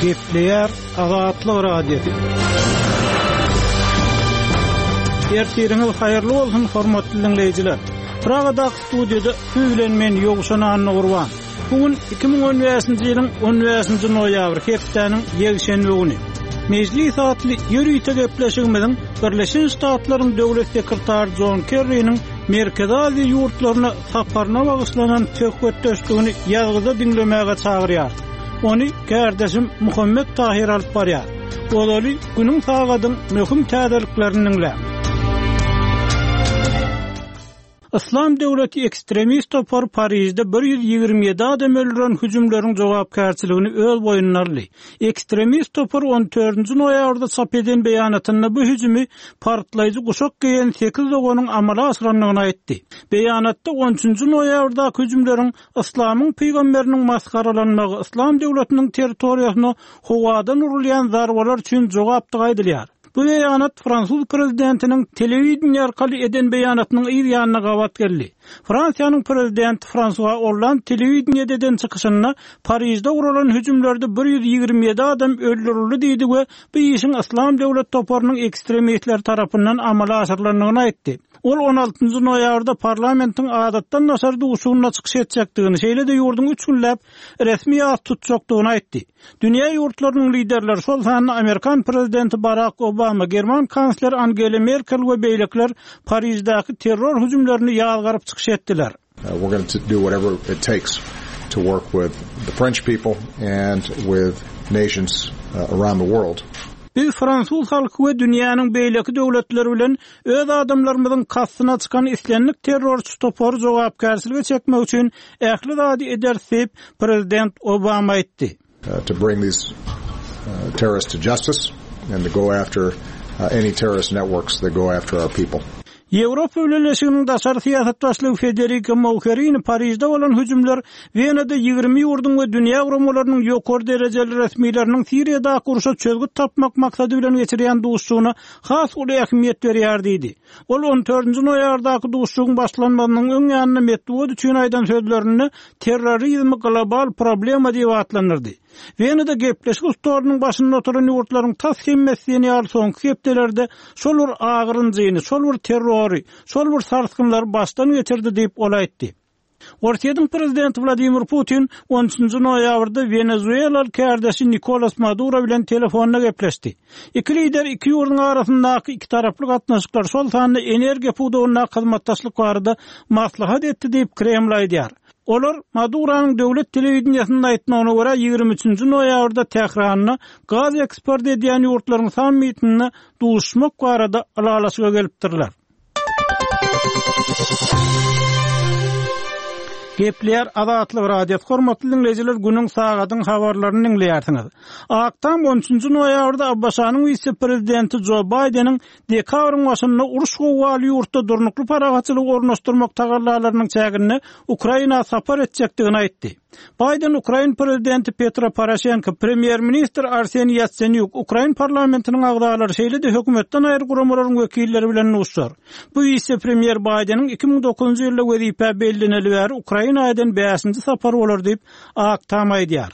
Gepleýär Azatlyk Radiosy. Ertiriňiz haýyrly bolsun, hormatly diňleýjiler! Pragadaky studiýada siz bilen men Ýowşan Annagurban. Bu gün 2015-nji ýylyň 15-nji noýabry, hepdäniň ýekşenbe güni. Mejlis atly ýörite gepleşigimiziň Birleşen Ştatlaryň Döwlet sekretary Jon Kerriniň Merkezi Aziýa ýurtlaryna saparyna bagyşlanan söhbetdeşligini ýazgyda diňlemäge çagyrýarys. Ony kärdeşim Muhammet Tahyr alyp barýar. Ozaly günüň sagadyň möhüm täzeliklerini diňläň. Yslam döwleti ekstremist topary Parižde 127 adam öldüren hüjümleriň jogapkärçiligini öz boýnuna aldy. Ekstremist topar on dördünji noýabrda çap eden beýanatynda bu hüjümi partlaýjy guşak geýen sekiz doganyň amala aşyrandygyny aýtdy. Beýanatda on üçünji noýabrdaky hüjümleriň yslamyň pygamberiniň masgaralanmagy, Yslam döwletiniň territoriýasyna howadan urulýan zarbalar üçin jogapdygy aýdylýar. Bu beýanat fransuz prezidentiniň telewideniýe arkaly eden beýanatynyň yz ýanyna gabat geldi. Fransiýanyň prezidenti Fransua Olland telewideniýede eden çykyşynda Parižde guralan hüjümlerde 127 adam öldürildi diýdi we bu işiň Yslam döwlet toparynyň ekstremistleri tarapyndan amala aşyrylandygyny aýtdy. Ol on altynjy noýabrda parlamentiň adatdan daşary duşuşygynda çykyş etjekdigini, şeýle-de ýurduň üç günläp resmi ýas tutjakdygyny aýtdy. Dünýä ýurtlarynyň liderleri, şol sanda amerikan prezidenti Barak Obama, german kansleri Angela Merkel we beýlekiler Pariždäki terror hüjümlerini ýazgaryp çykyş etdiler. We're going to do whatever it takes to work with the French people and with nations around the world. Biz fransuz halky we dünýäniň beýleki döwletleri bilen öz adamlarymyzyň kastyna çykan islendik terrorçy topary jogapkärçilige çekmek üçin ähli zady ederis diýip, prezident Obama aýtdy. To bring these terrorists to justice and to go after any terrorist networks that go after our people. Ýewropa Bileleşiginiň daşary syýasat başlygy Federika Mogherini Parižde bolan hüjümler Wenada 20 ýurduň we dünýä guramalarynyň ýokary derejeli resmileriniň Siriýadaky urşa çözgüt tapmak maksady bilen geçirýän duşuşygyna has uly ähmiýet berýär diýdi. Ol on dördünji noýabrdaky duşuşygyň başlanmazynyň öň ýanynda metbugat üçin aýdan sözlerinde terrorizmi global problema diýip atlandyrdy. Wenada gepleşik stolunyň başynda oturan ýurtlaryň tas hemmesi diýen ýaly soňky hepdelerde şol bir agyr-ynjyny, şol bir terrory, şol bir sarsgynlary başdan geçirdi diýip, ol aýtdy. Orsýetiň prezidenti Wladimir Putin on üçünji noýabrda wenezuelaly kärdeşi Nikolas Maduro bilen telefonda gepleşdi. Iki lider iki ýurduň arasyndaky ikitaraply gatnaşyklar, şol sanda energiýa pudagyndaky hyzmatdaşlyk barada maslahat etdi diýip, Kreml aýdýar. Olar, Maduronyň döwlet telewideniýesinde aýtmagyna görä, 23 nji noýabrda Tähranda gaz eksport edýän ýurtlaryň sammitinde duşuşmak barada ylalaşyga gelipdirler. Gepleýär Azatlyk Radiosy hormatly diňleýjiler günüň sagadyň habarlaryny diňleýärsiňiz. Ak Tam 13-nji noýabrda ABŞ-nyň wise-prezidenti Jo Baýdeniň dekabryň başynda uruş gowgaly ýurtda durnukly parahatçylygy ornaşdyrmak tagallalarynyň çäginde Ukraina sapar etjekdigini aýtdy. Baýden ukrain prezidenti Petro Poroşenko, premýer-ministr Arseniý Ýatsenýuk, ukrain parlamentiniň agzalary, şeýle-de hökümetden aýry guramalaryň wekilleri bilen duşuşar. Bu wise-premýer Baýdeniň 2009-njy ýylda wezipä belleneli bäri Ukraina eden bäşinji sapary bolar diýip, Ak Tam aýdýar.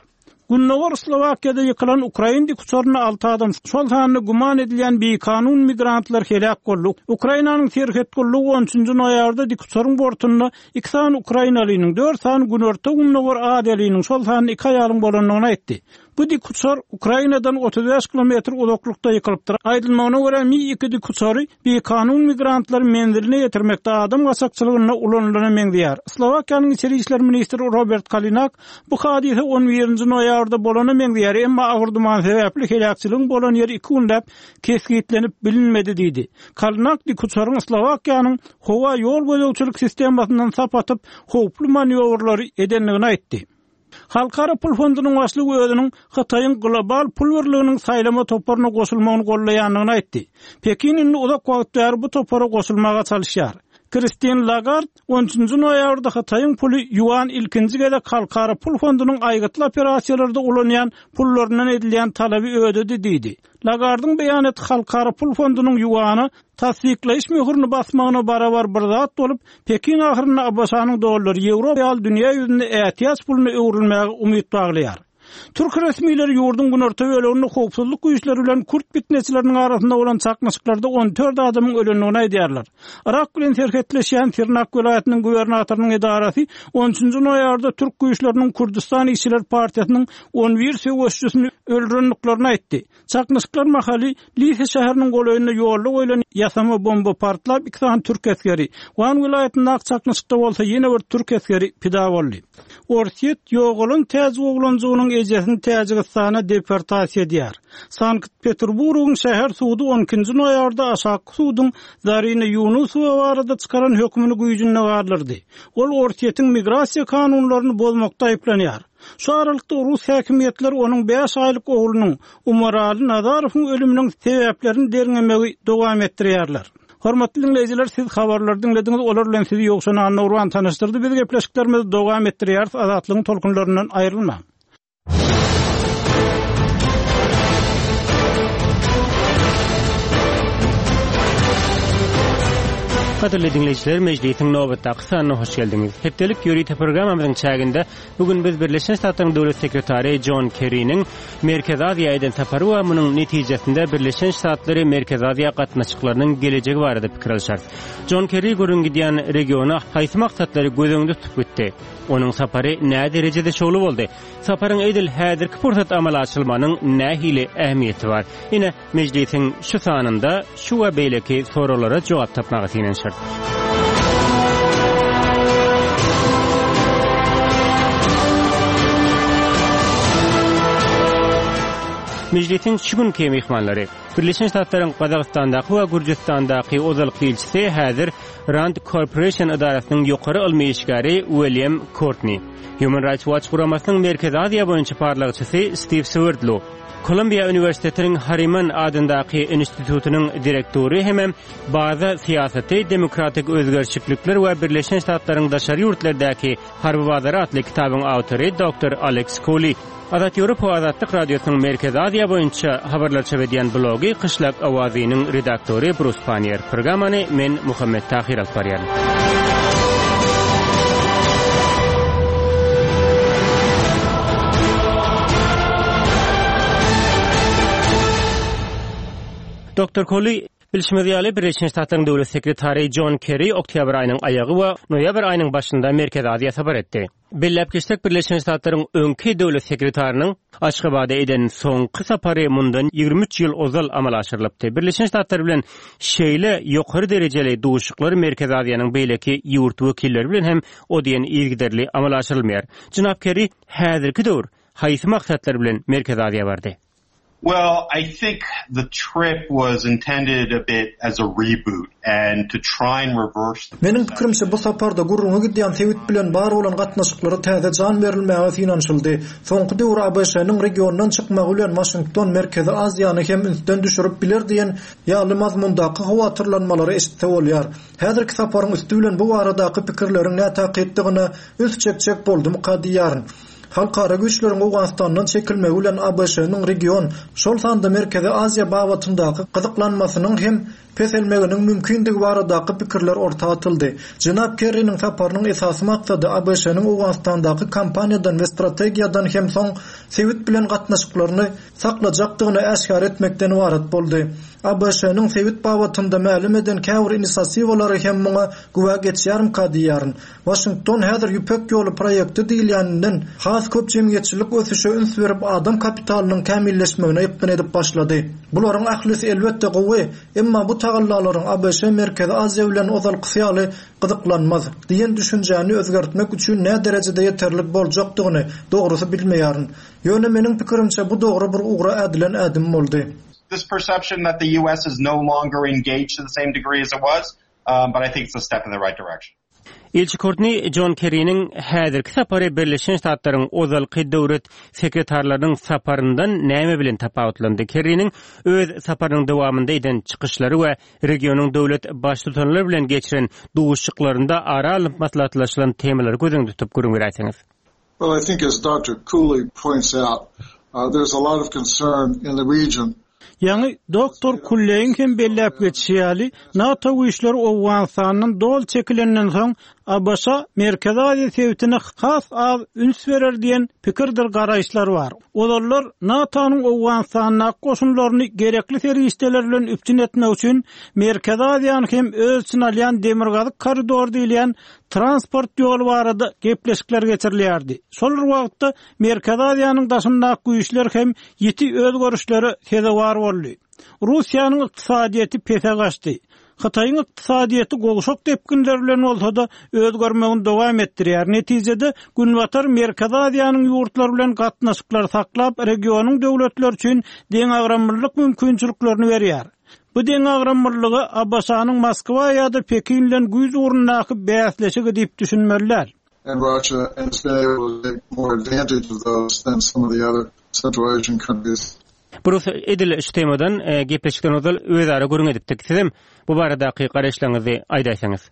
Gündogar Slowakiýada ýykylan ukrain dikuçarynda alty adam, şol sanda güman edilýän bikanun migrantlar heläk boldy. Ukrainanyň serhet gullugy on üçünji noýabrda dikuçaryň bortunda iki sany ukrainalynyň, dört sany günorta-gündogar aziýalynyň, şol sanda iki aýalyň bolandygyny aýtdy. Bu dikuçar Ukrainadan 35 kilometr uzaklykda ýykylypdyr. Aýdylmagyna görä, Mi-2 dikuçary bikanun migrantlary menziline ýetirmekde adam gaçakçylygynda ulanylana meňzeýär. Slowakiýanyň içeri işler ministri Robert Kalinak bu hadysa on birinji noýabrda bolana meňzeýär, emma agyr duman sebäpli heläkçiligiň bolan ýeri iki günläp kesgitlenip bilinmedi diýdi. Kalinak dikuçaryň Slowakiýanyň howa ýol gözegçilik sistemasyndan sap atyp, howply manýowrlary edendigini aýtdy. Halkara pul fondunyň başlygy özüniň Hytaýyň global pul birliginiň saýlama toparyna goşulmagyny goldaýandygyny aýtdy. Pekin indi uzak wagt bäri bu topara goşulmaga çalyşýar. Kristin Lagard on üçünji noýabrda Hytaýyň puly ýuan ilkinji gezek Halkara pul fondunyň aýgytly operasiýalarda ulanýan pullaryndan edilýän talaby ödedi diýdi. Lagardyň beýanaty Halkara pul fondunyň ýuana tassyklaýyş möhürini basmagyna barabar bir zat bolup, Pekin ahyrynda ABŞ-nyň dollary, ýewro ýaly dünýä ýüzünde ätiýaç puluna öwrülmäge umyt baglaýar. Türk resmileri ýurduň günorta böleginde howpsuzlyk güýçleri bilen kürt pitneçileriniň arasynda bolan çaknyşyklarda 14 adamyň ölendigini aýdýarlar. Yrak bilen serhetleşýän Sirnak welaýatynyň gubernatorynyň edarasy on üçünji noýabrda türk güýçleriniň Kürdüstan işçiler partiýasynyň on bir söweşijisini öldürendiklerini aýtdy. Çaknyşyklar mahaly Lise şäheriniň golaýynda ýolda goýlan ýasama bomba partlap, iki sany türk esgeri, Wan welaýatyndaky çaknyşykda bolsa ýene bir türk esgeri pida boldy. Orsýet ýogalan täjik oglanjygynyň ejesini Täjigistana deportasiýa edýär. Sankt-Peterburgyň şäher sudy on ikinji noýabrda aşakky suduň Zarina Ýunusowa barada çykaran hökmüni güýjünde galdyrdy. Ol Orsýetiň migrasiýa kanunlaryny bozmakda aýyplanýar. Şu aralykda rus häkimiýetleri onuň bäş aýlyk oglunyň, Umarali Nazarowyň ölüminiň sebäplerini derňemegi dowam etdirýärler. Hormatly diňleýjiler, siz habarlary diňlediňiz, olar bilen sizi Ýowşan Annagurban tanyşdyrdy. Biz gepleşiklerimizi dowam etdirýäris, Azatlygyň tolkunlaryndan aýrylmaň. Gadyrly diňleýjiler, mejlisiň nobatdaky sanyna hoş geldiňiz. Hepdelik ýörite programmamyzyň çäginde bu gün biz Birleşen Ştatlaryň Döwlet sekretary Jon Kerriniň Merkezi Aziýa eden sapary we munuň netijesinde Birleşen Ştatlary Merkezi Aziýa gatnaşyklarynyň gelejegi barada pikir alyşarys. Jon Kerri gürrüň gidýän regiona haýsy maksatlary göz öňünde tutup gitdi? Onuň sapary näderejede şowly boldy? Saparyň edil häzirki pursat amala aşyrylmagynyň nähili ähmiýeti bar? Ine, mejlisiň şu sanynda şu we beýleki soraglara jogap tapmaga synanyşarys. Mejlisiň şu günki myhmanlary, Birleşen Ştatlaryň Gazagystandaky we Gürjüstandaky ozalky ilçisi, häzir Rand Corporation edarasynyň ýokary ylmy işgäri Uilýam Kortni. Human Rights Watch guramasynyň Merkezi Aziýa boýunça barlagçysy Stiw Swerdlow, Kolumbiýa uniwersitetiniň Harriman adyndaky institutynyň direktory hemem Baza syýasaty, demokratik özgerişiklikler we Birleşen Ştatlaryň daşary ýurtlardaky harby bazary atly kitabyň awtory doktor Aleks Koli. Azat Ýewropa Azatlyk Radiosynyň Merkezi Aziýa boýunça habarlar çap edýän blogy Kyşlak owazynyň redaktory Brus Pannier. Programmany men Muhammet Tahyr alyp barýaryn. Doktor Koli, bilşimiz ýaly, Birleşen Ştatlaryň Döwlet sekretary Jon Kerri oktýabr aýynyň aýagy we noýabr aýynyň başynda Merkezi Aziýa sapar etdi. Belläp geçsek, Birleşen Ştatlaryň öňki döwlet sekretarynyň Aşgabada eden soňky sapary mundan 23 ýyl ozal amala aşyrylypdy. Birleşen Ştatlar bilen şeýle ýokary derejeli duşuşyklar Merkezi Aziýanyň beýleki ýurt wekilleri bilen hem o diýen yzygiderli amala aşyrylmaýar. Jenap Kerri häzirki döwür haýsy maksatlar bilen Merkezi Aziýa bardy? Well, I think the trip was intended a bit as a reboot and to try and reverse the Meniň pikirimçe, bu saparda gürrüňi gidýän sebit bilen bar bolan gatnaşyklara täze jan berilmäge synanyşyldy. Soňky döwür ABŞ-nyň regiondan çykmagy bilen Waşington Merkezi Aziýany hem ünsden düşürip biler diýen ýaly mazmundaky howatyrlanmalary eşitse bolýar. Häzirki saparyň üsti bilen bu baradaky pikirleriň nätakykdygyna üns çekjek boldumyka diýýärin. Halkara güýçleriň Owganystandan çekilmegi bilen ABŞ-nyň region, şol sanda Merkezi Aziýa babatyndaky gyzyklanmasynyň hem peselmeginiň mümkindigi baradaky pikirler orta atyldy. Jenap Kerriniň saparynyň esasy maksady ABŞ-nyň Owganystandaky kampaniýadan we strategiýadan hem soň sebit bilen gatnaşyklaryny saklajakdygyny äşgär etmekden ybarat boldy. ABŞ-nyň sebit babatynda mälim eden käbir inisiatiwalary hem muňa güwä geçýärmika diýýärin. Waşington häzir Ýüpek ýoly proýekti diýilýäninden has köp jemgyýetçilik ösüşe üns berip adam kapitalynyň kämilleşmegine ýykgyn edip başlady. Bularyň ählisi elbetde gowy, emma bu tagallalaryň ABŞ Merkezi Aziýa bilen ozalkysy ýaly gyzyklanmaz diýen düşünjäni özgertmek üçin näderejede ýeterlik boljakdygyny dogrusy bilmeýärin. Ýöne meniň pikirimçe bu dogry bir ugra ädilen ädim boldy. This perception that the US is no longer engaged to the same degree as it was, but I think it's a step in the right direction. Ilçi Kortni Jon Kerriniň häzirki sapary Birleşen Ştatlaryň ozalky döwlet sekretarlarynyň saparyndan näme bilen tapawutlandy? Kerriniň öz saparynyň dowamynda eden çykyşlary we regionyň döwlet Baştutanlary bilen geçiren duşuşyklarynda ara alnyp maslahatlaşylan temalary göz öňünde tutup gürrüň beräýseňiz. Well, I think as Doctor Cooley points out, there's a lot of concern in the region. Ýaňy doktor Kulleýiň hem belläp geçişi ýaly, NATO güýçleri Owganystandan doly çekilenden soň, ABŞ Merkezi Aziýa sebitine has az üns berer diýen pikirdir garaýyşlar bar. Ozallar NATO-nyň Owganystandaky goşunlaryny gerekli serişdeler bilen üpjün etmek üçin Merkezi Aziýany hem öz içine alýan Demirgazyk koridor diýilýän transport ýoly barada gepleşikler geçirilýärdi. Şol bir wagtda Merkezi Aziýanyň daşyndaky güýçler hem ýiti özgerişlere sezewar boldy. Russiýanyň ykdysadyýeti pese gaçdy. Hytaýyň ykdysadyýeti gowşak depginler bilen bolsa-da, özgermegini dowam etdirýär. Netijede, Günbatar Merkezi Aziýanyň ýurtlary bilen gatnaşyklary saklap, regionyň döwletleri üçin deňagramlylyk mümkinçiliklerini berýär. Bu deňagramlylyga ABŞ-nyň Moskwa ýa-da Pekin bilen güýç ugrundaky bäsleşigi diýip düşünmeli däl. and Russia and has been able to take more advantage of those than some of the other Central Asian countries. Brus, edil şu temadan gepleşikden ozal özara gürrüň edipdik. Sizem bu baradaky garaýyşlaryňyzy aýdaýsaňyz.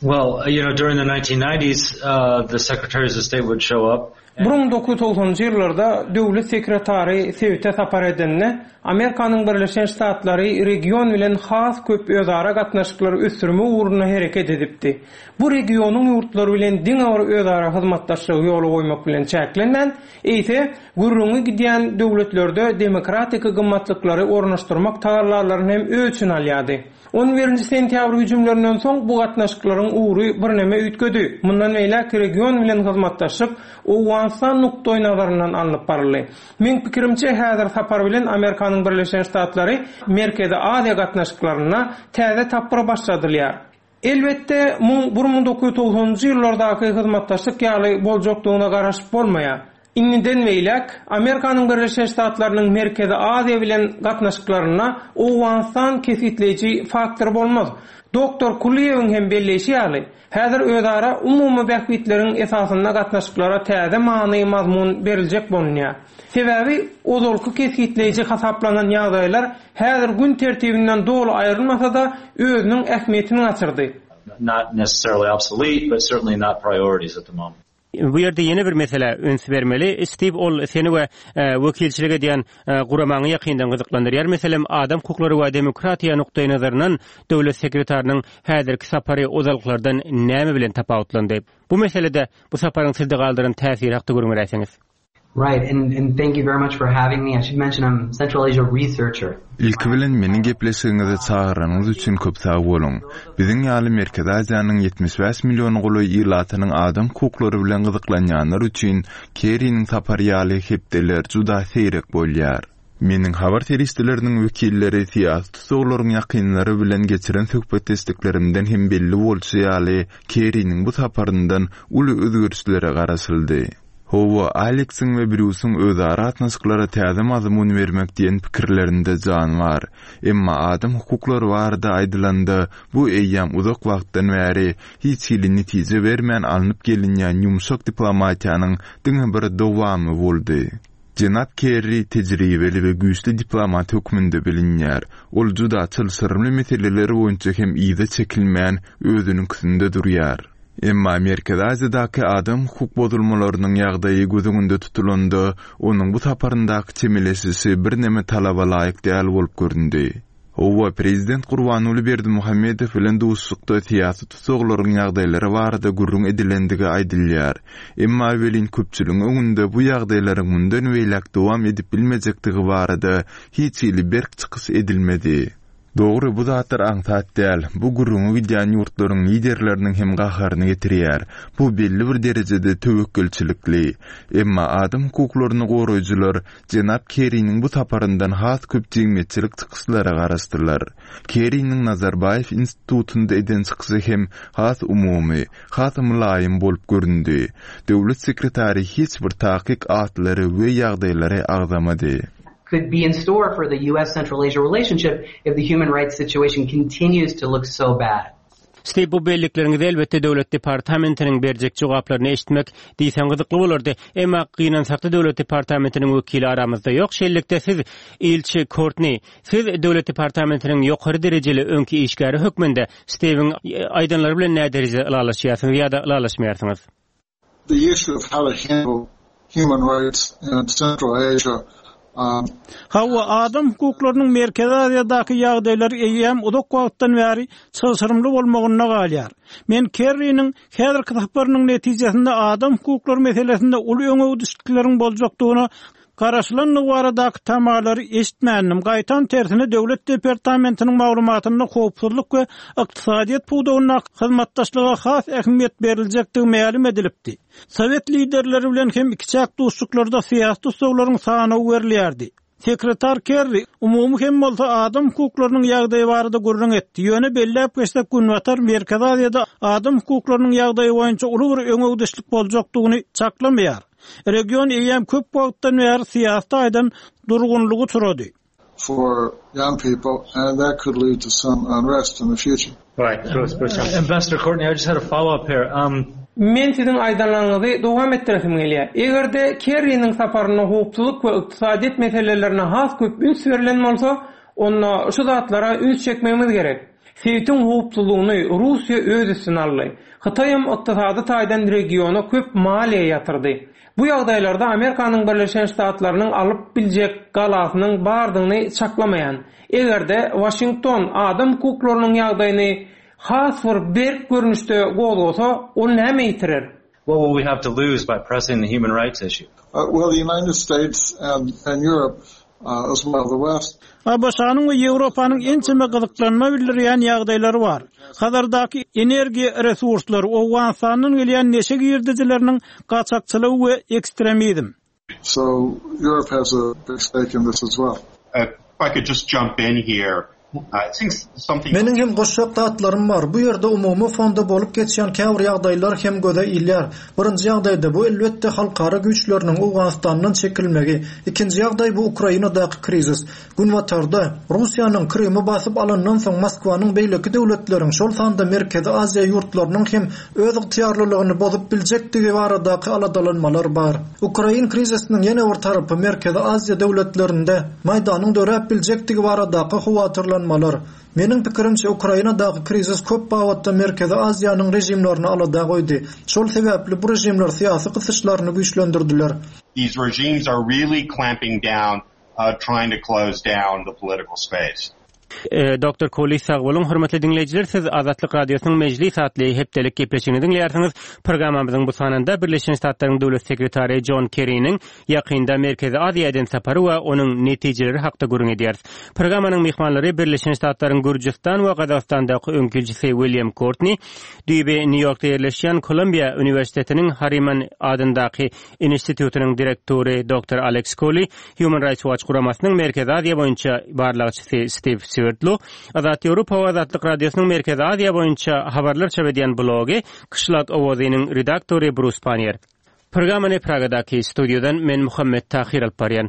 Well, you know, during the 1990s, uh, the secretaries of state would show up. 1990-njy ýyllarda döwlet sekretary sebite sapar edende, Amerikanyň Birleşen Ştatlary region bilen has köp özara gatnaşyklary ösdürmek ugrunda hereket edipdi. Bu regionyň ýurtlary bilen diňe bir özara hyzmatdaşlygy ýola goýmak bilen çäklenmän, eýse, gürrüňi gidýän döwletlerde demokratiki gymmatlyklary ornaşdyrmak tagallalaryny hem öz içine alýardy. On birinji sentýabr hüjümlerinden soň bu gatnaşyklaryň ugry birneme üýtgedi. Mundan beýläk region bilen hyzmatdaşlyk Owganystan nukdaýnazaryndan alnyp baryldy. Meň pikirimçe, häzir sapar bilen Amerikanyň Birleşen Ştatlary Merkezi Aziýa gatnaşyklarynda täze tapgyr başladylýar. Elbetde, muň 1990-njy ýyllardaky hyzmatdaşlyk ýaly boljakdygyna garaşyp bolmaýar. Indiden beýläk, Amerikanyň Birleşen Ştatlarynyň Merkezi Aziýa bilen gatnaşyklarynda Owganystan kesgitleýji faktor bolmaz. Doktor Kulyýewiň hem belleýşi ýaly, häzir özara umumy bähbitleriň esasynda gatnaşyklara täze many-mazmun beriljek bolunýar. Sebäbi ozalky kesgitleýji hasaplanan ýagdaýlar häzir gün tertibinden doly aýrylmasa-da, özüniň ähmiýetini gaçyrdy. Not necessarily obsolete, but certainly not priorities at the moment. Bu ýerde ýene bir meselä üns bermeli. Stiw, ol seni we wekilçilik edýän guramaňy ýakyndan gyzyklandyrýar. Meselem, adam hukuklary we demokratiýa nukdaýnazaryndan döwlet sekretarynyň häzirki sapary ozalkylardan näme bilen tapawutlandy? Bu meselede bu saparyň sizde galdyran täsiri hakda gürrüň beräýseňiz. Right, and and thank you very much for having me. I should mention I'm Central Asia researcher. Ilki bilen meni gepleşigiňize çagyranyňyz üçin köp sag boluň. Biziň ýaly Merkezi Aziýanyň 75 milliona golaý ilatynyň adam hukuklary bilen gyzyklanýanlar üçin Kerriniň sapary ýaly hepdeler juda seýrek bolýar. Meniň habar serişdeleriniň wekilleri syýasy tussaglaryň ýakynlary bilen geçiren söhbetdeşliklerimden hem belli bolşy ýaly, Kerriniň bu saparyndan uly özgerişlere garaşyldy. Hawa, Aleksiň we Brýusyň özara gatnaşyklara täze mazmun bermek diýen pikirlerinde jan bar. Emma adam hukuklary barada aýdylanda, bu eýýäm uzak wagtdan bäri hiç hili netije bermän alnyp gelinýän ýumşak diplomatiýanyň diňe bir dowamy boldy. Jenap Kerri tejribeli we güýçli diplomat hökmünde bilinýär. Ol juda çylşyrymly meseleler boýunça hem yza çekilmän, özüniňkisinde durýar. Emma Merkezi Aziýadaky adam hukuk bozulmalarynyň ýagdaýy göz öňünde tutulanda, onuň bu saparyndaky çemeleşişi birneme talaba laýyk däl bolup göründi. Hawa, prezident Gurbanguly Berdimuhamedow bilen duşuşykda syýasy tussaglaryň ýagdaýlary barada gürrüň edilendigi aýdylýar. Emma welin köpçüligiň öňünde bu ýagdaýlaryň mundan beýläk dowam edip bilmejekdigi barada hiç hili berk çykyş edilmedi. Dogry, bu zatlar aňsat däl. Bu gürrüňi gidýän ýurtlaryň liderleriniň hem gaharyny getirýär. Bu belli bir derejede töwekgelçilikli. Emma adam hukuklaryny goraýjylar jenap Kerriniň bu saparyndan has köp jemgyýetçilik çykyşlara garaşdylar. Kerriniň Nazarbaýew institutynda eden çykyşy hem has umumy, has mylaýym bolup göründi. Döwlet sekretary hiç bir takyk atlary we ýagdaýlary agzamady. could be in store for the US-Central Asia relationship if the human rights situation continues to look so bad. Stiw, bu bellikleriňizi elbetde Döwlet departamentiniň berjek jogaplaryny eşitmek diýseň gyzykly bolardy. Emma gynansakda Döwlet departamentiniň wekili aramyzda ýok. Şeýlelikde siz, ilçi Kortni, siz Döwlet departamentiniň ýokary derejeli öňki işgäri hökmünde Stiwiň aýdanlary bilen näderejede ylalaşýarsyňyz ýa-da ylalaşmaýarsyňyz? The issue of how to handle human rights in Central Asia. Hawa, adam hukuklarynyň Merkezi Aziýadaky ýagdaýlary eýýäm uzak wagtdan bäri çylşyrymly bolmagynda galýar. Men Kerriniň häzirki saparynyň netijesinde adam hukuklary meselesinde uly öňegidişlikleriň boljakdygyna garaşylandygy baradaky tamalary eşitmändim, gaýtam tersine Döwlet departamentiniň maglumatynda howpsuzlyk we ykdysadyýet pudagyndaky hyzmatdaşlyga has ähmiýet beriljekdigi mälim edilipdi. Sowet liderleri bilen hem ikiçäk duşuşyklarda syýasy tussaglaryň sanawy berilýärdi. Sekretar Kerri, umumy hem bolsa adam hukuklarynyň ýagdaýy barada gürrüň etdi, ýöne belläp geçsek Günbatar Merkezi Aziýada adam hukuklarynyň ýagdaýy boýunça uly bir öňegidişlik boljakdygyny çaklamaýar. Region eýýäm köp wagtdan bäri syýasy taýdan durgunlyga uçrady. for young people and that could lead to some unrest in the future. Right. Ambassador Courtney, I just had a follow-up here. Um, Men siziň aýdanlaryňyzy dowam etdiresim gelýär. Eger-de Kerriniň saparynda howpsuzlyk we ykdysadyýet meselelerine has köp üns berlen bolsa, onda şu zatlara üns çekmegimiz gerek. Sebitiň howpsuzlygyny Russiýa öz üstüne aldy. Hytaýam ykdysady taýdan regiona köp maliýe ýatyrdy. Bu ýagdaýlarda Amerikanyň Birleşen Ştatlarynyň alyp biljek galasynyň bardygyny çaklamaýan. Eger-de Waşington adam hukuklarynyň ýagdaýyny has bir berk görnüşde gozgasa, ol näme ýitirer? What will we have to lose by pressing the human rights issue? Well, the United States and and Europe as well the West. ABŞ-nyň we Ýewropanyň ençeme gyzyklanma bildirýän ýagdaýlary bar. Hazardaky energiýa resurslary, Owganystandan gelýän neşe girdejileriniň gaçakçylygy we ekstremizm. So Europe has a big stake in this as well. If I could just jump in here, I think something. Meniň hem goşjak zatlarym bar. Bu ýerde umumy fonda bolup geçýän käbir ýagdaýlar hem göze ilýär. Birinji ýagdaýda bu elbetde halkara güýçleriniň Owganystandan çekilmegi. Ikinji ýagdaý bu Ukrainadaky krizis. Günbatarda, Russiýanyň Krymy basyp alandan soň Moskwanyň beýleki döwletleriň, şol sanda Merkezi Aziýa ýurtlarynyň hem öz ygtyýarlylygyny bozup biljekdigi baradaky aladalanmalar bar. Ukrain krizisiniň ýene bir tarapy Merkezi Aziýa döwletlerinde Maýdanyň döräp biljekdigi baradaky howatyrlanmalar. Meniň pikirimçe, Ukrainadaky krizis köp babatda Merkezi Aziýanyň režimlerini alada goýdy. Şol sebäpli bu režimler syýasy gysyşlaryny güýçlendirdiler. These regimes are really clamping down trying to close down the political space. Doktor Koli sag boluň. Hormatly diňleýjiler, siz Azatlyk Radiosynyň Mejlis atly hepdelik gepleşigini diňleýärsiňiz. Programmamyzyň bu sanynda Birleşen Ştatlaryň Döwlet sekretary Jon Kerriniň ýakynda Merkezi Aziýa eden sapary we onuň netijeleri hakda gürrüň edýäris. Programmanyň myhmanlary Birleşen Ştatlaryň Gürjüstan we Gazagystandaky öňki ilçisi William Kortni, düýbi Nýu-Ýorkda ýerleşýän Kolumbiýa uniwersitetiniň Harriman adyndaky Institutynyň direktory doktor Aleks Koli, Human Rights Watch guramasynyň Merkezi Aziýa boýunça barlagçysy Stiw Swerdlow, Azat Ýewropa we Azatlyk Radiosynyň Merkezi Aziýa boýunça habarlar çap edýän blogy Kyşlak owazynyň redaktory Brus Pannier. Programmany Pragadaky studiýadan men Muhammet Tahyr alyp barýan.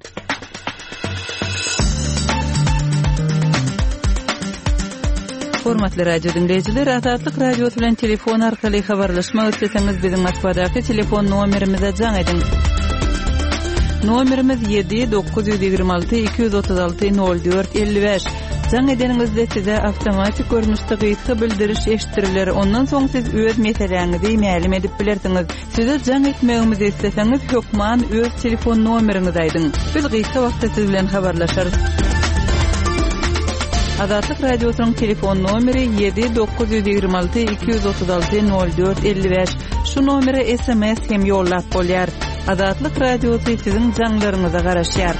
Hormatly radio diňleýjiler, Azatlyk Radiosy bilen telefon arkaly habarlaşmak isleseňiz, biziň Moskwadaky telefon nomerimize jaň ediň. Nomerimiz 7 926 236 04 55. Jaň edeniňizde size awtomatik görnüşde gysga bildiriş eşitdiriler, ondan soň siz öz meseläňizi mälim edip bilersiňiz. Size jaň etmegimizi isleseňiz, hökman öz telefon nomeriňizi aýdyň. Biz gysga wagtda siz bilen habarlaşarys. Azatlyk Radiosynyň telefon nomeri 7 926 236 04 55. Şu nomere sms hem ýollap bolýar. Azatlyk Radiosy siziň jaňlaryňyza garaşýar.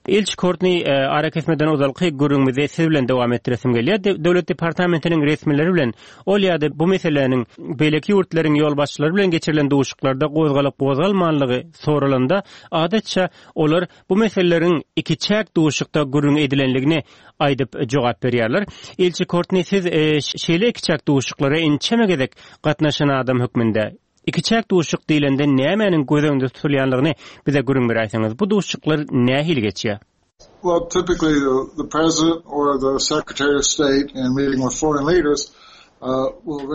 Ilçi Kortni, arakesmeden ozalky gürrüňimizi siz bilen dowam etdiresim gelýär. Döwlet departamentiniň resmileri bilen ol ýa-da bu meseläniň beýleki ýurtlaryň ýolbaşçylary bilen geçirilen duşuşyklarda gozgalyp-gozgalmanlygy soralanda, adatça, olar bu meseleleriň ikiçäk duşuşykda gürrüň edilenligini aýdyp jogap berýärler. Ilçi Kortni, siz şeýle ikiçäk duşuşyklara ençeme gezek gatnaşan adam hökmünde, Ikiçäk duşuşyk diýlende nämäniň göz öňünde tutulýanlygyny bize gürrüň beräýseňiz. Bu duşuşyklar nähili geçýär? Well, typically the, the president or the secretary of state in meeting with foreign leaders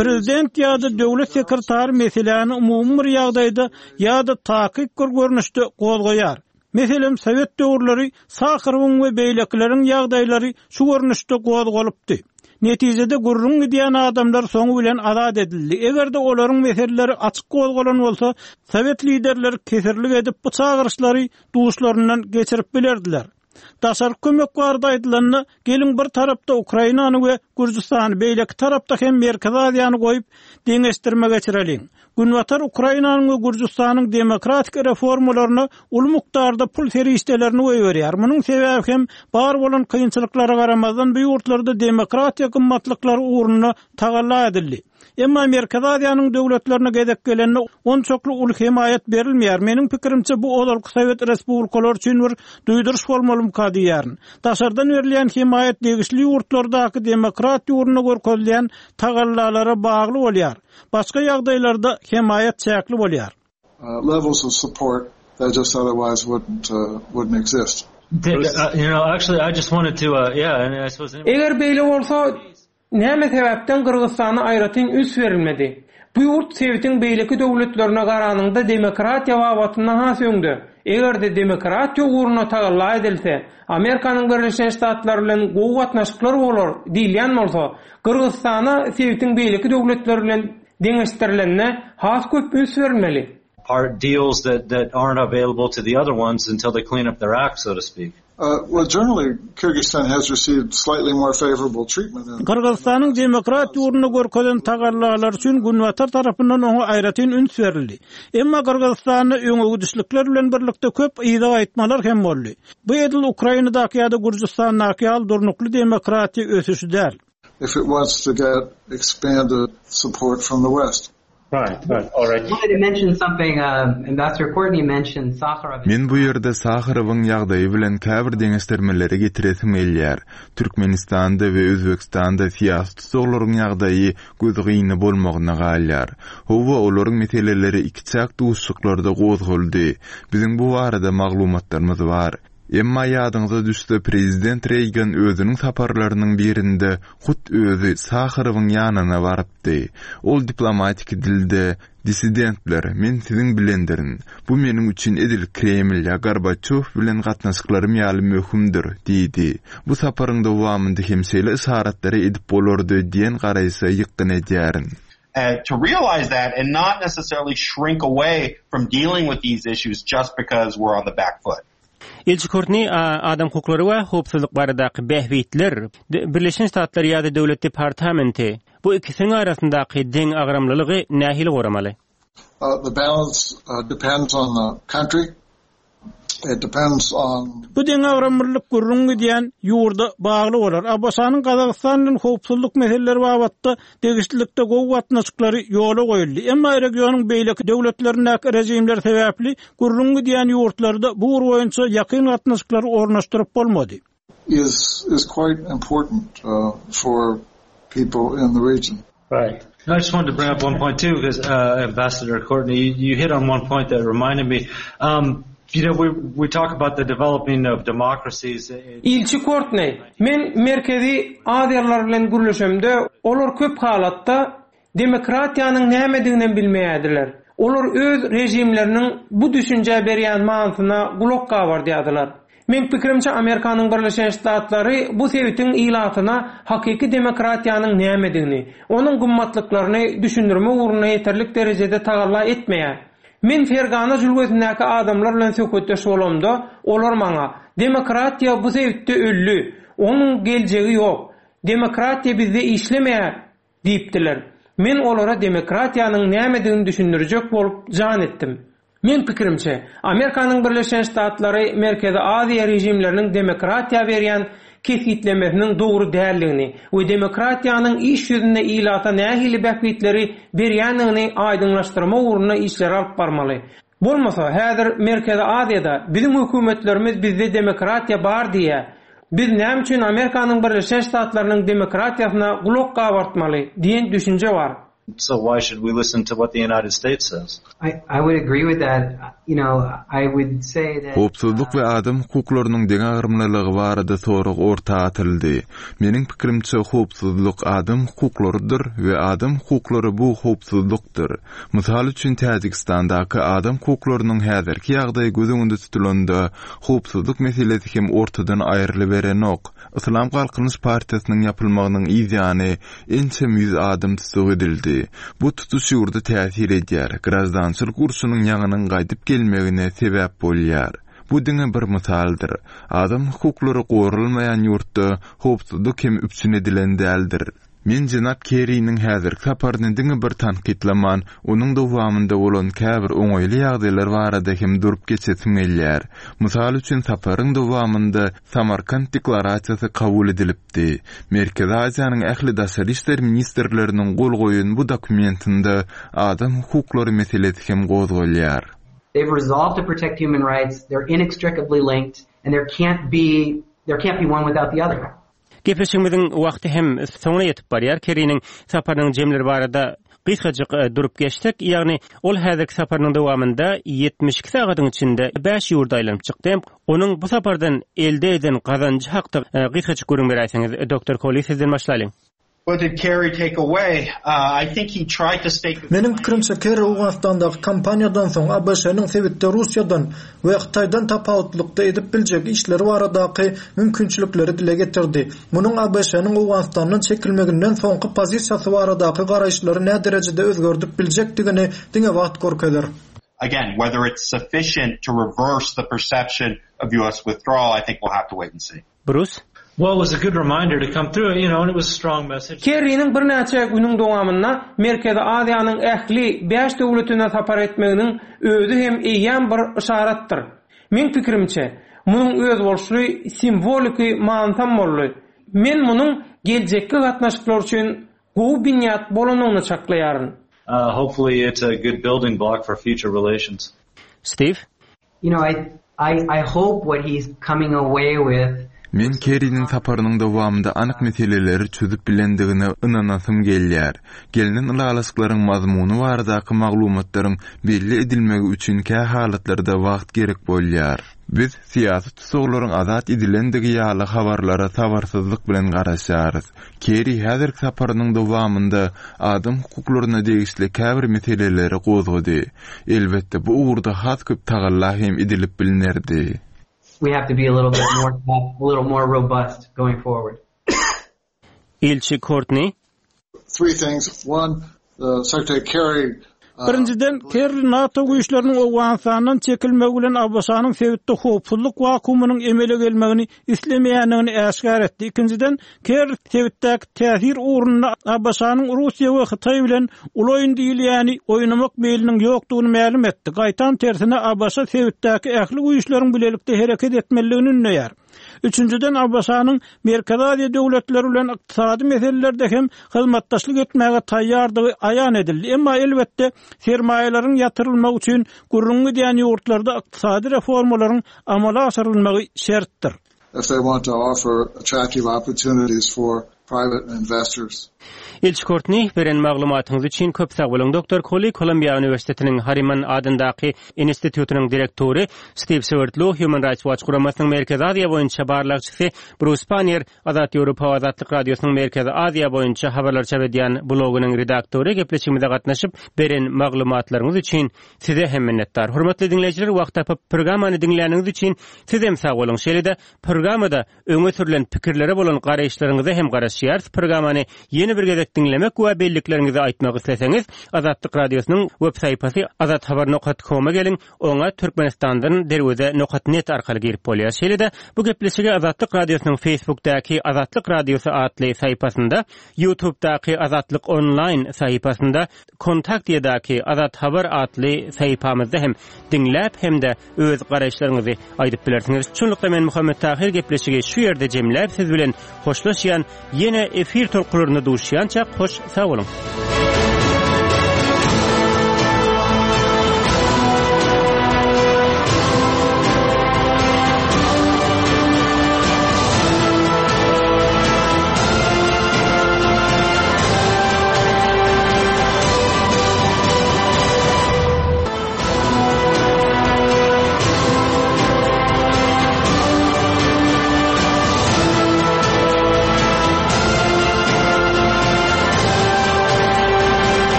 Prezident ýa-da döwlet sekretary meseläni umumy bir ýagdaýda ýa-da takyk bir görnüşde gozgaýar. Meselem, sowet döwürleri Saharowyň we beýlekileriň ýagdaýlary şu görnüşde gozgalypdy. Netijede gürrüň gidýän adamlar soňy bilen azat edildi. Eger-de olaryň meseleleri açyk gozgalan bolsa, sowet liderleri kesirlik edip bu çagyryşlary duşlaryndan geçirip bilerdiler. Daşarky kömek barada aýdylanda, geliň bir tarapda Ukrainany we Gürjüstany, beýleki tarapda hem Merkezi Aziýany goýup, deňeşdirme geçireliň. Günbatar Ukrainanyň we Gürjüstanyň demokratik reformalaryna uly mukdarda pul serişdelerini goýberýär. Munuň sebäbi hem bar bolan kynçylyklara garamazdan bu ýurtlarda demokratiýa gymmatlyklary ugrunda tagalla edildi. Emma Merkezi Aziýanyň döwletlerine gezek gelende onçakly uly hemaýat berilmeýär. Meniň pikirimçe, bu ozalky sowet respublikalary üçin bir duýduryş bolmalymyka diýýärin. Daşardan berilýän hemaýat degişli ýurtlardaky demokratiýa ugrunda görkezilýän tagallalara bagly bolýar. Başga ýagdaýlarda hemaýat çäkli bolýar. Levels of support that just otherwise wouldn't wouldn't exist. Eger beýle bolsa, Näme sebäpden Gyrgyzystana aýratyn üns berilmedi? Bu ýurt sebitiň beýleki döwletlerine garanyňda demokratiýa babatynda has öňde. Eger-de demokratiýa ugrunda tagalla edilse, Amerikanyň Birleşen Ştatlary bilen gowy gatnaşyklar bolar diýilýän bolsa, Gyrgyzystana sebitiň beýleki döwletleri bilen deňeşdirilende has köp üns berilmeli. Part deals that that aren't available to the other ones until they clean up their act, so to speak. Well, generally, Kyrgyzstan has received slightly more favorable treatment than. Gyrgyzystanyň demokratiýa ugrunda görkezen tagallalary üçin Günbatar tarapyndan oňa aýratyn üns berildi. Emma Gyrgyzystanda öňegidişlikler bilen birlikde köp yza gaýtmalar hem boldy. Bu edil Ukrainadaky ýa-da Gürjüstandaky ýaly durnukly demokratiýa ösüşi däl. If it wants to get expanded support from the West. Men bu ýerde Saharowyň ýagdaýy bilen käbir deňeşdirmeleri getiresim gelýär. Türkmenistanda we Özbegistanda syýasy tussaglaryň ýagdaýy gözgyny bolmagyna galýar. Hawa, olaryň meseleleri ikiçäk duşuşyklarda gozgaldy. Biziň bu barada maglumatlarymyz bar. Emma ýadyňyza düşse, prezident Reýgan özüniň saparlarynyň birinde hut özi Saharowyň ýanyna barypdy. Ol diplomatiki dilde, Dissidentler, men siziň bilendirin. Bu meniň üçin edil Kreml ýa Gorbaçýow bilen gatnaşyklarym ýaly möhümdir diýdi. Bu saparyň dowamynda hem şeýle yşaratlary edip bolardy diýen garaýşa ýykgyn edýärin. To realize that and not necessarily shrink away from dealing with these issues just because we're on the back foot. Ilçi Kortni adam hukuklary we howpsuzlyk baradaky bähbitler, Birleşen Ştatlar ýa-da Döwlet departamenti bu ikisiniň arasyndaky deňagramlylygy nähili goramaly? The balance depends on the country. It depends on. Bu deňagramlylyk gürrüň gidýän ýurda bagly bolar. ABŞ-nyň Gazagystan bilen howpsuzlyk meseleleri babatda degişlilikde gowy gatnaşyklary ýola goýuldy. Emma regionyň beýleki döwletlerindäki režimler sebäpli gürrüň gidýän ýurtlarda bu ugur boýunça ýakyn gatnaşyklary ornaşdyryp bolmady. Is is quite important for people in the region. Right. I just wanted to bring up one point too, because uh, Ambassador Courtney, you, you hit on one point that reminded me. Um, you know, we we talk about the developing of democracies. Ilçi Kortneý, Men Merkezi Aziýalylar bilen gürleşemde, olar köp halatda Demokratiýanyň nämediginem bilmeýärdiler. Olar öz režimleriniň bu düşünjä berýän manysyna gulak gabardýardylar. Meň pikirimçe Amerikanyň Birleşen Ştatlary bu sebitiň ilatyna hakyky demokratiýanyň nämedigini, onuň gymmatlyklaryny düşündirmek ugrunda ýeterlik derejede tagalla etmeýär. Men Fergana jülgesindäki adamlar bilen söhbetdeş bolamda, olar maňa, Demokratiýa bu sebitde öldi, onuň geljegi ýok. Demokratiýa bizde işlemeýär Diýipdiler. Men olara demokratiýanyň nämedigini düşündirjek bolup jan etdim. Meň pikirimçe, Amerikanyň Birleşen Ştatlary Merkezi Aziýa režimleriniň demokratiýa berýän kesgitlemesiniň dogry däldigini we demokratiýanyň iş ýüzünde ilata nähili bähbitleri berýändigini aýdyňlaşdyrmak ugrunda işleri alyp barmaly. Bolmasa, häzir Merkezi Aziýada biziň hökümetlerimiz bizde demokratiýa bar diýýär. Biz näme üçin Amerikanyň Birleşen Ştatlarynyň demokratiýasyna gulak gabartmaly diýen düşünje bar. So why should we listen to what the United States says? I I would agree with that. You know, I would say that Howpsuzlyk we adam hukuklarynyň deňagramlylygy barada sorag orta atyldy. Meniň pikirimçe, howpsuzlyk adam hukuklarydyr we adam hukuklary bu howpsuzlykdyr. Mysal üçin, Täjigistandaky adam hukuklarynyň häzirki ýagdaýy göz öňünde tutulanda, howpsuzlyk meselesi hem ortadan aýrylyberenok. Yslam Galkynyş partiýasynyň ýapylmagynyň yz ýany ençeme ýüz adam tussag edildi. Bu tutuş ýurda täsir edýär, graždançylyk urşunyň ýaňynyň gaýdyp gelmegine sebäp bolýar. Bu diňe bir mysaldyr. Adam hukuklary goralmaýan ýurtda howpsuzlyk hem üpjün edilen däldir. Men jenap Kerriniň häzirki saparyny diňe bir tankytlaman, onuň dowamynda bolan käbir oňaýly ýagdaýlar barada hem durup geçesim gelýär. Mysal üçin, saparyň dowamynda Samarkant deklarasiýasy kabul edilipdi. Merkezi Aziýanyň ähli daşary işler ministrleriniň gol goýan bu dokumentinde adam hukuklary meselesi hem gozgalýar. They've resolved to protect human rights, they're inextricably linked, and there can't be there can't be one without the other. Gepleşigimiziň wagty hem soňuna ýetip barýar. Kerriniň saparynyň jemleri barada gysgajyk durup geçsek, ýagny ol häzirki saparynyň dowamynda 72 sagadyň içinde bäş ýurda aýlanyp çykdy. Onuň bu sapardan elde eden gazanjy hakda gysgajyk gürrüň beräýseňiz, Doktor Koli, sizden başlalyň. What did Kerry take away? I think he tried to stake a Meniň pikirimçe, Kerri Owganystandaky kampaniýadan soň ABŞ-nyň sebitde Russiýadan we Hytaýdan tapawutlykda edip biljek işleri baradaky mümkinçilikleri dile getirdi. Munuň ABŞ-nyň Owganystandan çekilmeginden soňky pozisiýasy baradaky garaýyşlary näderejede özgerdip biljekdigini diňe wagt görkezer. Again, whether it's sufficient to reverse the perception of US withdrawal, I think we'll have to wait and see. Brus. Well, it was a good reminder to come through, you know, and it was a strong message. Kerriniň birnäçe günüň dowamynda Merkezi Aziýanyň ähli bäş döwletine sapar etmeginiň özi hem eýýäm bir yşaratdyr. Meň pikirimçe, munuň özboluşly simwoliki manysam boldy. Men munuň geljekki gatnaşyklar üçin gowy binýat bolanyny çaklaýaryn. Hopefully it's a good building block for future relations. Steve? You know, I, I, I hope what he's coming away with Men Kerriniň saparynyň dowamynda anyk meseleleri çözüp bilendigine ynanasym gelýär. Gelnen ylalaşyklaryň mazmuny baradaky maglumatlaryň belli edilmegi üçin kä halatlarda wagt gerek bolýar. Biz syýasy tussaglaryň azat edilendigi ýaly habarlara sabyrsyzlyk bilen garaşýarys. Kerri häzirki saparynyň dowamynda adam hukuklaryna degişli käbir meseleleri gozgady. Elbetde, bu ugurda has köp tagalla hem edilip bilnerdi. We have to be a little bit more tough, a little more robust going forward. Ilçi Kortni. Three things. One, the Secretary Kerry Birinjiden, Kerri NATO güýçleriniň Owganystandan çekilmegi bilen ABŞ-nyň sebitde howpsuzlyk wakuumynyň emele gelmegini islemeýändigini äşgär etdi. Ikinjiden, Kerri sebitdäki täsir ugrunda ABŞ-nyň Russiýa we Hytaý bilen uly oýun diýilýäni oýnamak meýliniň ýokdugyny mälim etdi. Gaýtam tersine, ABŞ sebitdäki ähli güýçleriň bilelikde hereket etmelidigini ündeýär. Üçünjiden, ABŞ-nyň Merkezi Aziýa döwletleri bilen ykdysady meselelerde hem hyzmatdaşlyk etmäge taýýardygy aýan edildi. Emma, elbetde, sermaýalaryň ýatyrylmagy üçin gürrüňi gidýän ýurtlarda ykdysady reformalaryň amala aşyrylmagy şertdir. If they want to offer attractive opportunities for private investors. Ilçi Kortni, beren maglumatyňyz üçin köp sag boluň. Doktor Koli, Kolumbiýa uniwersitetiniň Harriman adyndaky institutynyň direktory, Stiw Swerdlow, Human Rights Watch guramasynyň Merkezi Aziýa boýunça barlagçysy, Brus Pannier, Azat Ýewropa we Azatlyk Radiosynyň Merkezi Aziýa boýunça habarlar çap edýän blogynyň redaktory gepleşigimize gatnaşyp, beren maglumatlaryňyz üçin size hem minnetdar. Hormatly diňleýjiler, wagt tapyp, programmany diňläniňiz üçin sizem sag boluň. Şeýle-de, programmada Öňe sürlen pikirlere bolan garaýyşlaryňyza hem garaşýarys. Programmany ýene bir gezek diňlemek we bellikleriňizi aýtmak isleseňiz, Azatlyk Radiosynyň web sahypasy azathabar nokat koma geliň, oňa Türkmenistandan derweze nokat net arkaly girip bolýar. Şeýle-de, bu gepleşigi Azatlyk Radiosynyň Facebookdaky Azatlyk Radiosy atly sahypasynda, YouTubedaky Azatlyk Online sahypasynda, Kontaktiýadaky Azat Habar atly sahypamyzda hem diňläp hem-de öz garaýyşlaryňyzy aýdyp bilersiňiz. Şunlukda men Muhammet Tahyr gepleşigi şu ýerde jemläp siz bilen hoşlaşýan ýene efir tolkunlarynda duşýançak hoş sag boluň.